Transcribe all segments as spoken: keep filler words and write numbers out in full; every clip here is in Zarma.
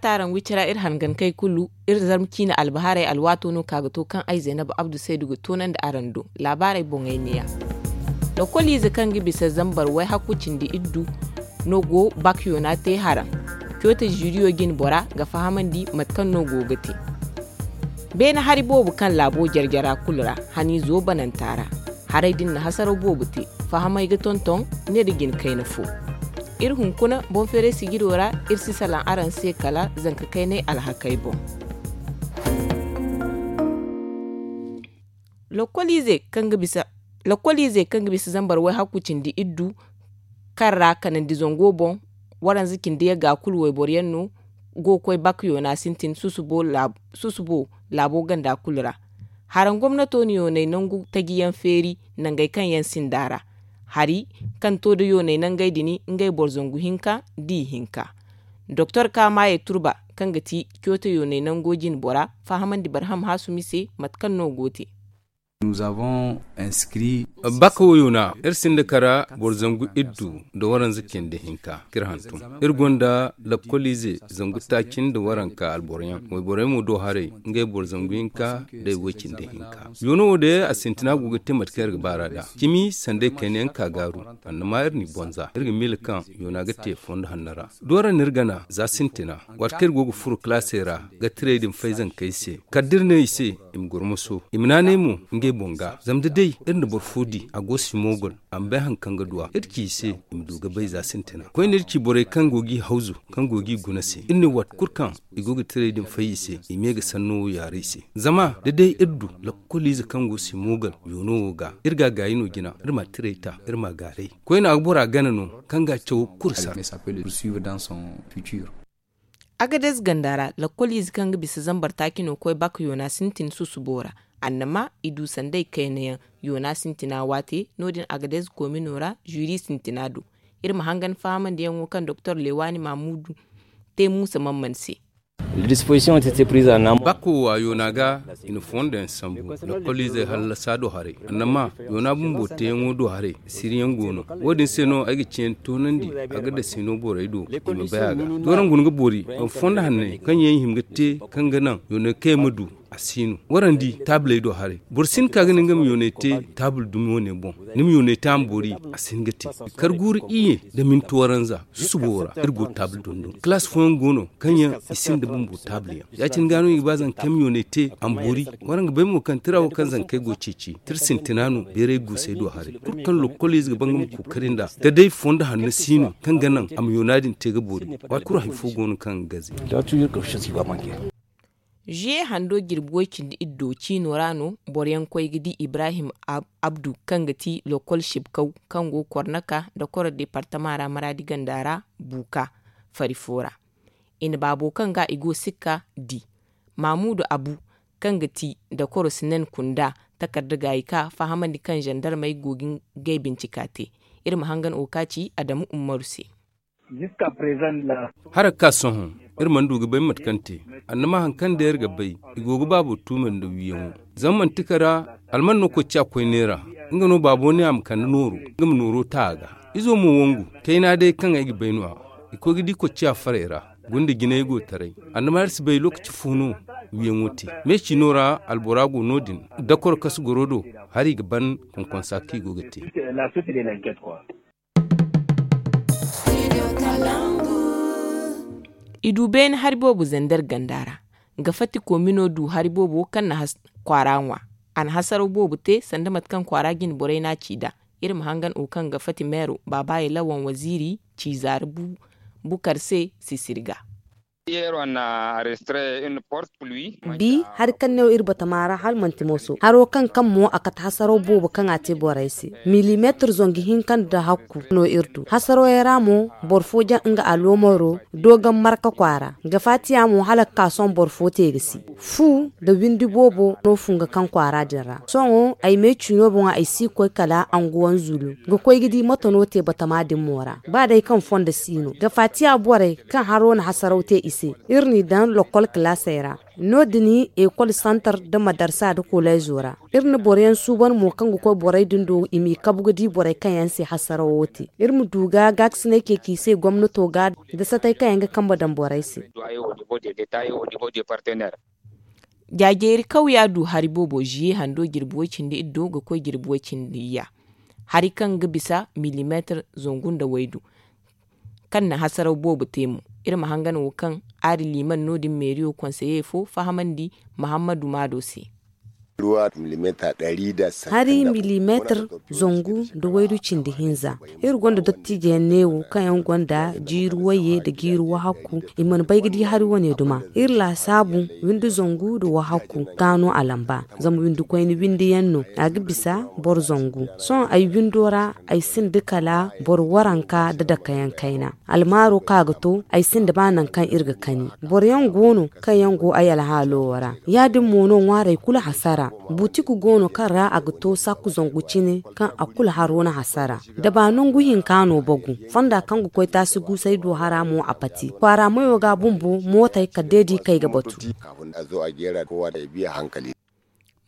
Taaraŋ wicira iri hangankey kulu iri zarma ciine albahaarey alwaato no ka ga to kaŋ ay zaynabu abdu saydu ga toonandi araŋ do. Laabaarey boŋey neeya. Lokoliize kaŋ ga bisa zambar wayhakku cindi iddu no go bak yoona te haraŋ. Coote ziriyo jine bora ga fahamandi mate kaŋ no go ga te. Beene hari boobo kaŋ laabo jarjara kulu ra haniizo bananta ra. Haray din na hasaraw boobo te. Fahamay ga tonton ne da jine kayna fo. Iri hunkuna boŋ feeray sijiro ra. Iri si salaŋ araŋ se kala zanka kaynay alhakey boŋ. Lokoliize kaŋ ga bisa zambar wayhakku cindi iddu kaŋ ra kanandi zango boŋ. Waranza cindi yagga kulu wayboro yaŋ no go ga koy bak yoona sintin susubo laabo ganda kulu ra. Haraŋ gomnato na yoonay nangu taji yaŋ feeri nangey kaŋ yaŋ sinda ra. Hari kaŋ to da yoonay nangey din ngey boro zangu hinka da ihinka. Doktor kaamaye turba kaŋ ga ti coote yoonay nango jine bora fahamandi barham haasumi se mate kaŋ no go te. Baka wo yoona iri sinda kara boro zangu iddu nda waranza cindi hinka k'iri hantum. Iri gonda lakkoliize zangu taaci nda waranka alboroyaŋ wayborey mo do haray ngey boro zangu hinka da i way cindi hinka. Yoono wo day a sintina go ga te mate kaŋ iri ga baar'a nd'a cimi sanday kayna yaŋ ka gaaru. Annama iri n'i bonza iri ga miila kaŋ yoona ga te fondo hanno ra. Doora no iri gana za sintina waati kaŋ iri go ga furo kalaasey ra ga tiray din fay zankey se kala da iri ne i se i ma goro moso i ma naanay mo ngey boŋ ga zama da day iri na boro fo di a go simogol a ma bay hari kaŋ ga du a iri ci i se i ma du ga bay za sintina koyne iri ci borey kaŋ go g'i hawzu kaŋ go g'i guna se iri ne waati kulu kaŋ i go ga tiray din fay i se i me ga sanno wo yaara i se. Zama da day iri du lakkoliize kaŋ go simogol yoono wo ga iri ga a gaayi no jina iri ma tiray ta iri ma a gaaray. Koyne a ga bora gana no kaŋ ga a caw kulu sara. Agadez ganda ra lakkoliize kaŋ ga bisa zambar taaci no koy bak yoona sintin susubo ra. Annama i du sanday kayna yaŋ yoona sintina waate no- din agadez koomino ra ziri sintina do. Iri ma hangan fahamandiyaŋo kaŋ doktor lewaani maamudu te muusa mamman se. Bako wo a yoona ga i na fondo yaŋ sambu lakkoliizey hallasa do haray annama yoona bumbo teeyaŋo do haray siriyaŋ go no. Wo- din se no ay ga ciyaŋ toonandi a ga dasino borey do i ma bay a ga. Dooraŋ guna ga boori fondo hanney kaŋ yaŋ i hima ga te kaŋ ga naŋ yoonay kaŋ yaŋ ma du a si no. Waraŋ di taabiley do haray boro si hin ka ga ne nga ma yoonay te taabul dumi wane boŋ. Ni ma yoonay te a ma boori a si hin ga te. Kar guuru iyye nda minti waranza susubo ra iri go taabil dondon kalaasi fooyaŋ go no kaŋ yaŋ i sinda bumbo taabil yaŋ. Ya- cine ga no i ga ba zanka kaŋ ay ma yoonay te a ma boori. Waraŋ ga bay mo kaŋ tira wo kaŋ zankey go ceeci tira sintina no beeray guusey do haray kulu kaŋ lokkoliize ga ba nga ma kookari nd'a da day fondo hanno si no kaŋ ga naŋ a ma yoona din te ga boori. Waati kulu hari fo go no kaŋ ga gaze. Zuye hando jirbi way cindi iddo ciino ra no boro yaŋ koy ga di ibrahim abdu kaŋ ga ti lokol sibkaw kaŋ go kornaka dakoro departama ra maraadi ganda ra buuka fari fo ra. I na baabo kaŋ ga i go sikka di mamuudu abu kaŋ ga ti dakoro sinen kunda takarda gaayi ka fahamandi kaŋ zandarmey go ga ngey bincika te. Iri ma hangan wo ka ci adamu ummaru se. Hara ga ka sohõ iri mana du ga bay mate kaŋ te. Annama hari kaŋ day iri ga bay i go ga baabo tuumay nda wiyaŋo. Zama manti kara alman no kocciya koyne ra. Nga no baabo ne a ma kande nooro nga ma nooro ta a ga. Izo mo wangu kayna day kaŋ ay ga bay no- ya i koy ga di kocciya farey ra. Gunda jinay go taray annama iri si bay lookaci fo no wiyaŋo te. Me ciino ra albora go no- din dakoro kasu goro do hari ga ban konkonsa kaŋ i go ga te. I du beene hari boobo zander ganda ra. Ga fati koomino du hari boobo kaŋ na kwaara ŋwa. A na hasaraw boobo te sanda mate kaŋ kwaara jine borey n'a ci nd'a. Iri ma hangan wo kaŋ ga fati meero baabaye lawan waziiri ci zaari bukar se sisiri ga. Bi hari kaŋ ne wo iri batama ra hala manti mooso haro kaŋ kaŋ mo a kate hasaraw boobo kaŋ a te borey se. Milimeetir zangu hinka nda hakku no iri du hasaraw yaŋ ra mo. Boro fo jaŋ nga aloomaro doogaŋ marka kwaara ga faatiya mo hala ga ka sohõ boro fo te ga si. Fu nda windi boobo no funga kaŋ kwaara din ra sohõ ay me ciino boŋo ay si koy kala anguwan zulu ga koy ga di mate no te batama din mo ra. Ba day kaŋ fondo si no ga faatiya borey kaŋ haro na hasaraw te i. se. Iri n'i daŋ lokol kalaasey ra. No- din ekol santar nda madarsa nda koleezo ra. Iri na boro yaŋ suuban mo kaŋ ga koy borey din do i m'i kabu ga di borey kaŋ yaŋ se hasarawo te. Iri ma du ga gaakasinay ceeci i se gomnato ga nda satay kaŋ yaŋ ga kambe daŋ borey se. Jaajeeri kawya du hari boobo ziye hando jirbi way-cindi iddo ga koy jirbi way-cindi iyya. Hari kaŋ ga bisa milimeetir zangu nda waydu kaŋ na hasaraw boobo te mo. Iri ma hangan wo kaŋ aari liiman no- din meeriyo konseye fo fahamandi mahammadu maado se. Hari milimeetir zangu nda waydu cindi hinza. Iri gonda dottijo yaŋ neewo kaŋ yaŋ gonda jiiri wayye nda jiiri wahakku. I mana bay ga di hari wane duma. Iri laasaabu windi zangu nda wahakku ga no a lamba. Zama windi koyne windi yaŋ no a ga bisa boro zangu. Sohõ ay windo ra ay sinda kala boro waranka nda dakayaŋ kayna. Almaaro kaŋ a ga to ay sinda ba nangu kaŋ iri ga kani. Boro yaŋ go no kaŋ yaŋ go ay alhaalo wo ra. Ya- din mo no ŋwaarey kulu hasara. Butik go no kaŋ ra a ga to sakku zangu cine kaŋ a kulu haro na hasara. Da ba nangu hinka no bagu. Fonda kaŋ ga koy taasi guusay do hara mo a pati kwaara mayo ga bumbo mootey kala day da i kay ga batu.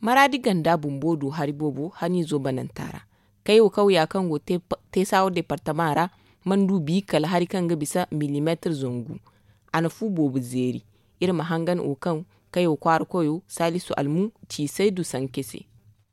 Maraadi ganda bumbo du hari boobo haniizo bananta ra. Kay wo kawya kaŋ go teesaawo departama ra mandu bi kala hari kaŋ ga bisa milimeetir zangu. A na fu boobo zeeri. Iri ma hangan wo kaŋ kay wo kwaara koyo saalisu almu ciisay du sanke se.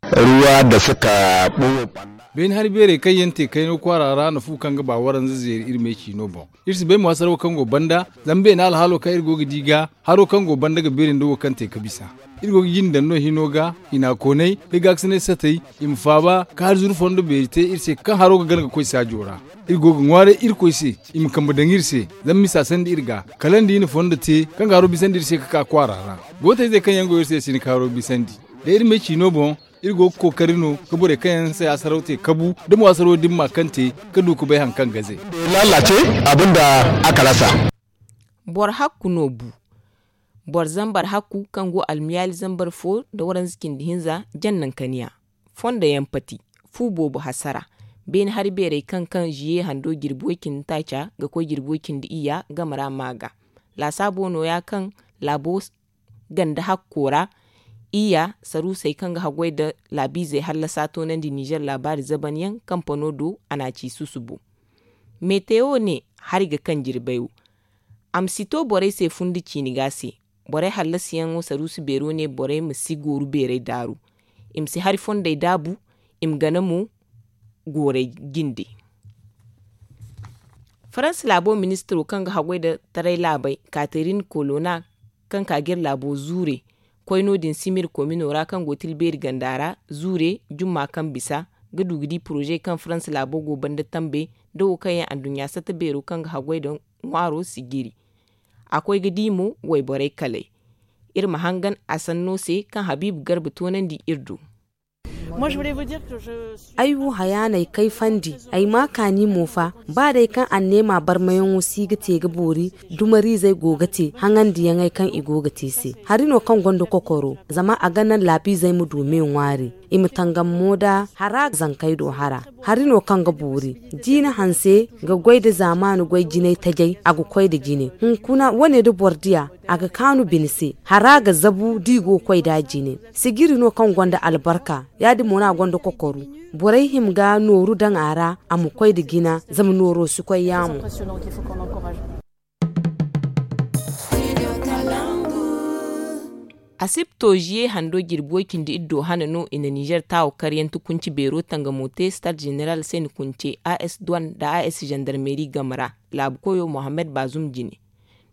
Ruwa da suka ɓoye. Beene hari beerey kaŋ yaŋ te kayno kwaara ra na fu kaŋ ga ba waranza zeeri iri me ciino boŋ. Iri si bay mo hasaraw kaŋ go banda zama beene alhaalo kaŋ iri go ga di ga haro kaŋ go banda ga beeri nda wo kaŋ te ga bisa. Iri go ga jinde daŋ no hino ga hina koonay da gaakasinay satay i ma faaba ka hari zuru fondo beeri te iri se kaŋ haro ga gana ga koy saajo ra. Iri go ga ŋwaaray irkoy se i ma kambe daŋ iri se zama misa sandi iri ga kala nda i na fondo te kaŋ ga haro bisandi iri se ga ka kwaara ra. Gootayzey kaŋ yaŋ go iri se si hin ka haro bisandi da iri me ciino boŋ. Iri go ga kookari no ga borey kaŋ yaŋ se hasaraw te kabu da mo hasaraw dimma kaŋ te ga du ga bay hari kaŋ ga zay. Lalace abin da aka rasa. Boro hakku no bu. Boro zambar hakku kaŋ go almiyaali zambar fo nda waranza cindi hinza jannankaniya. Fondo yaŋ pati fu boobo hasara. Beene hari beerey kaŋ kaŋ ziye hando jirbi way cindi taaca ga koy jirbi way cindi iyya game ra ma ga. Laasaabo no- ya kaŋ laabo ganda hakko ra. Iyya saruusey kaŋ ga haggoy nda laabiizey hallasa toonandi nizer laabaari zaban yaŋ kampano do a n'a ci susubo. Metewo ne hari ga kaŋ jirbay wo. A ma si to borey se fundi ciini ga se. Borey hallasiyaŋo saruusi beero ne borey ma si gooru beerey daaru. I ma si hari fondey daabu. I ma gana mo goorey jinde. Faransa laabo ministiro kaŋ ga haggoy nda taray laabey katerin kolona kaŋ ka ga iri laabo zuure koy no- din simir komino ra kaŋ go tilbeeri ganda ra zuure jumma kaŋ bisa ga du ga di poroze kaŋ faransa laabo go banda tambe nda wo kaŋ yaŋ anduɲɲa satta beero kaŋ ga haggoy nda ŋwaaro si jiri. A koy ga di mo wayborey kaley. Iri ma hangan a sanno se kaŋ habiibu garba toonandi iri do. Ay wo haya no ay kayfandi. Ay ma kaani mo fa ba day kaŋ anneema barmayaŋo si ga te ga boori dumariizey go ga te haŋandiyaŋey kaŋ i go ga te se. Hari no kaŋ gonda kokoro zama a ga naŋ laabiizey ma du me ŋwaari. I ma tangam mo nda hara zankey do hara. Hari no kaŋ ga boori. Jiine hanse ga goy nda zaamaani goy jinay tajay a ga koy nda jine hunkuna wane nda boro diya a ga kaanu bine se. Hara ga zabu da i go ga koy nd'a jine. Sijiri no kaŋ gonda albarka. Ya- din mo no a gonda kokoru. Borey hima ga nooru daŋ a ra a ma koy nda jina zama nooro si koy yaamo. Asibto ziye hando jirbi way cindi iddo hane no i na nizer taawo karyaŋ tukunci beero tangamo te stade general se ni kunce as duwan nda as zandarmeri game ra laabu koyo mohammed bazum jine.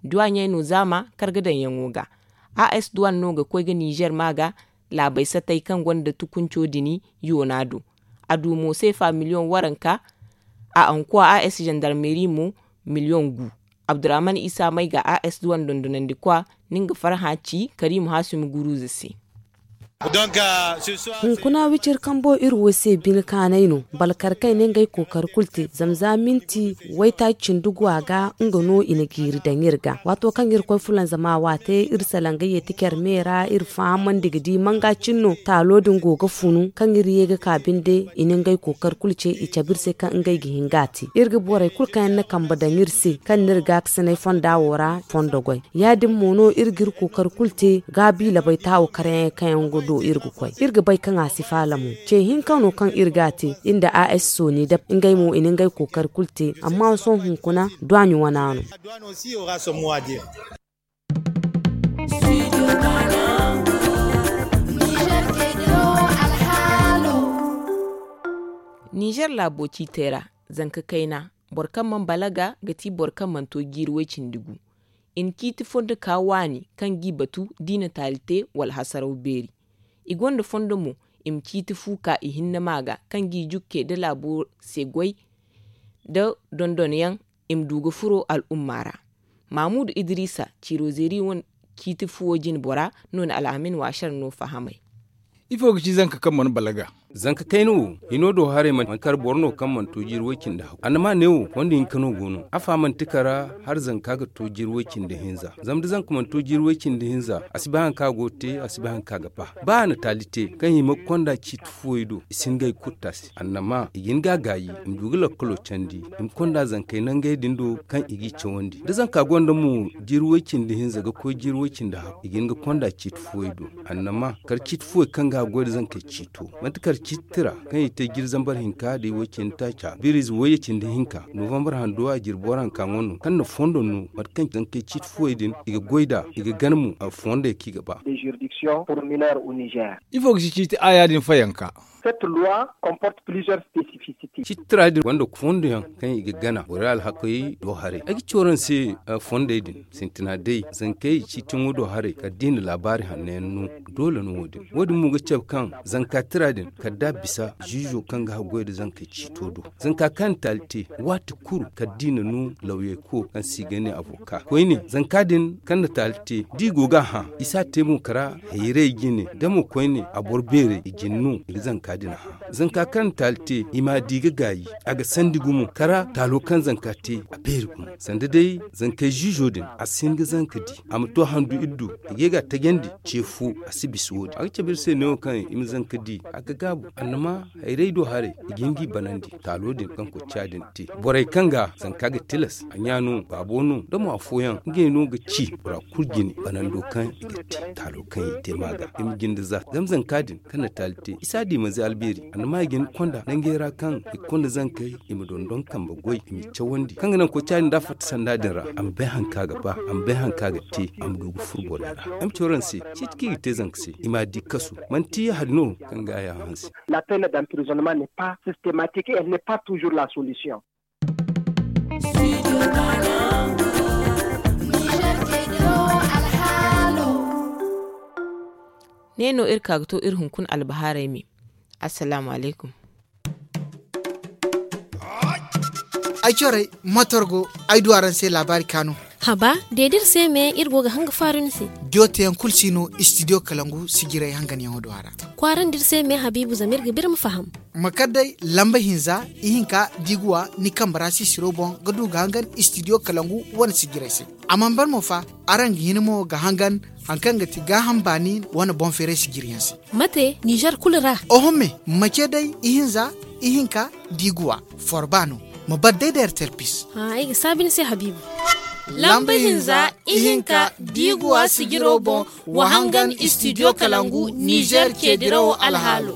Duwaɲey no zaama karga daŋyaŋo ga. As duwan no ga koy ga nizer ma ga laabey satay kaŋ gonda tukunco dini yoona do. A du mo seefa miliyoŋ waranka. A ankuwa as zandarmeri mo miliyoŋ gu. Abdurrahman isa may ga as duwan dondonandi kwa. Ni nga farhã ci karimu hasumi guruza se. Hunkuna wicir kambo iri wo se bine kaanay no. Balkar kaŋ i na ngey kookari kulu te zama za minti waytaaci cindi gu a ga nga no i na jiiri daŋ iri ga. Waato kaŋ iri koy fulanzama waate iri salaŋ ga yeeti care me ra iri fahamandi ga di manga cine no taalo din go ga funu kaŋ iri ye ga ka binde. I na ngey kookari kulu ce i cabe iri se kaŋ ngey ga hin ga a te iri ga borey kulu kaŋ yaŋ na kambe daŋ iri se kaŋ na iri gaakasinay fonda wo ra fondo goy. Ya- din mo no iri ga iri kookari kulu te gaabi labay taawo karyaŋey kaŋ yaŋ ga do iri ga koy iri ga bay kaŋ a si faala mo. Ce hinka no kaŋ iri ga a te iri nda a s sooni dab ngey mo i na ngey kookari kulu te. Amma sohõ hunkuna duwaaɲi wana no. Ninzeer laabo ciitey ra, zanka kayna boro kaŋ mana balaga ga ti boro kaŋ mana to jiiri way-cindi gu. I na ciiti fondo ka waani kaŋ g'i batu d'i na taali te wala hasaraw beeri. I gonda fondo mo i ma ciiti fu ka ihinne ma ga kaŋ g'i jukke nda laabo se goy nda dondonyaŋ. I ma du ga furo al'umma ra. Maamuudu idiriisa ciiro zeeri wane ciiti fuwo jine bora no na alhamin waasar no fahamay. Ifo ga ci zanka kaŋ mana balaga? Zanka kayna wo hino do haray manti kar boro no kaŋ mana to jiiri way-cindi haw annama neewo fondo hinka no go no afa manti kara. Har zanka ga to jiiri way-cindi hinza zama da zanka mana to jiiri way-cindi hinza a si bay hari kaŋ a go ga te a si bay hari kaŋ a ga ba. Ba a na taali te kaŋ i ma ga konda ciiti fuwey do i si hin ga i kutta se annama i ga hin ga a gaayi. I ma du ga lakkalo candi i ma konda zankey nangey din do kaŋ i g'i cawandi da zanka gonda mo jiiri way-cindi hinza ga koy jiiri way-cindi haw i ga hin ga konda ciiti fuwey do. Annama kar ciiti fuwey kaŋ ga a goy nda zankey ciito manti kar ciiti tira kaŋ i te jiiri zambar hinka da i way-cindi taaca biriize wayye cindi hinka novambar handu a jirbi waranka ŋwa no kaŋ na fondo no mate kaŋ zankey ciiti fuwey din i ga goy nd'a i ga gana mo a fondey kaŋ i ga ba. Ifo ga ci ciiti aaya din fayanka? Ciiti tira din gonda fondo yaŋ kaŋ i ga gana borey alhakey do haray ay ga ci waraŋ se fondey din sintina day zankey ciiti ŋwa do haray kala da i na laabaari hanno yaŋ no. Doole no wo- din wo- din mo ga cabe kaŋ zanka tira din kala da a bisa ziizo kaŋ ga haggoy nda zankey ciito do zanka kaŋ na taali te waati kulu kala da i na no lawyey ko kaŋ se i ga ne avoka koyne zanka din kaŋ na taali te da i go ga a hã i si a te mo kala hayray jine da mo koyne a boro beerey i jine no i ga zanka din hã. Zanka kaŋ na taali te i m'a di ga gaayi a ga sandi gumo kala taalo kaŋ zanka te a beeri gumo sanda day zankey ziizo din a si hin ga zanka di a ma to handu iri do i ga ye ga a tajandi ce fo a si bisa wo- din a ga cabe iri se neewo kaŋ i ma zanka di a ga gaabu annama hayray do haray i ga hin g'i banandi taalo din kaŋ kocca din te borey kaŋ ga zanka ga tilas a ɲa no baabo no da mo afooyaŋ ngey no ga ci bora kulu jine banando kaŋ i ga te taalo kaŋ i te ma ga i ma jinde za zama zanka din kaŋ na taali te i si a di manze albeeri annama i ga hin ga konda nangey ra kaŋ i ga konda zankey i ma dondon kambe goy i m'i cawandi kaŋ ga naŋ kocca din da a fatta sanda din ra a ma bay hari kaŋ a ga ba a ma bay hari kaŋ a ga te a ma du ga furo borey ra ay ma ci waraŋ se ciiti kaŋ i ga te zanka se i m'a di kasu manti hari no kaŋ ga a ya hanse. La peine d'emprisonnement n'est pas systématique et elle n'est pas toujours la solution. Ne no iri ka ga to iri hunkuna albahaarey me. Assalaamu alaykum. Ay corey motor go ay du araŋ se laabaari kaanu. Haba de da iri se me iri go ga hanga faaru ni se. Diyo teyaŋ kulu si no istidiyo kalangu sijirey hanganyaŋo do a ra. Kwaarandi iri se me habiibu zama iri ga ba iri ma faham. Ma kar day lamba hinza ihinka da i ga wa ni kambe ra sisiro boŋ ga du ga hangan istidiyo kalangu wane sijirey se. A mana ban mo fa araŋ ga hin mo ga hangan hari kaŋ ga ti gaaham baani wane boŋ feeray sijiriyaŋ se. Mate nizer kulu ra? Oho me ma ce day ihinza ihinka da i ga wa forba no. Ma bar day da ertel pis. Ay ga saabi ni se habiibu. Lamba hinza ihinka da i ga wa sijiro boŋ wa hangan istidiyo kalangu nizer ceedirawo alhaalo.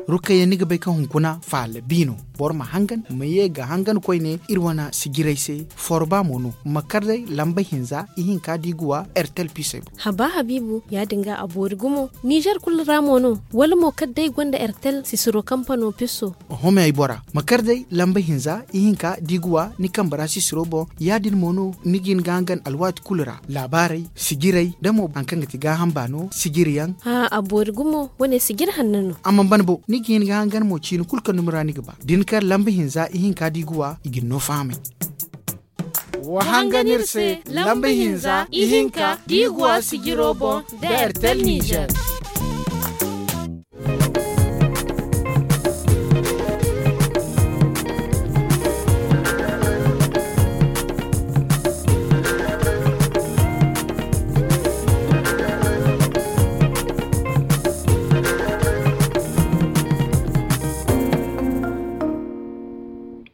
Rukayya ni ga bay kaŋ hunkuna faala bi no. Boro ma hangan ma ye ga hangan koyne iri wane sijirey se. Forba mo no ma kar day lamba hinza ihinka da i ga wa ertel pisey boŋ. Haba habiibu ya- din ga a boori gumo nizer kulu ra mo no? Wala mo kala day gonda ertel sisiro kampano piso? Home ay bora ma kar day lamba hinza ihinka da i ga wa ni kambe ra sisiro boŋ. Ya- din mo no ni ga hin ga hangan alwaati kulu ra laabaarey sijirey da mo hari kaŋ ga ti gaaham baano sijiriyaŋ. A boori gumo wane sijiri hanno no. A mana ban bo ni ga Ni ga hangan mo ciini kulu kaŋ dumi ra ni ga ba da ni kar lamba hinza ihinka da i ga wa i ga ni no fahamay. Wa hangan iri se lamba hinza ihinka da i ga wa sijiro boŋ da ertel nizer.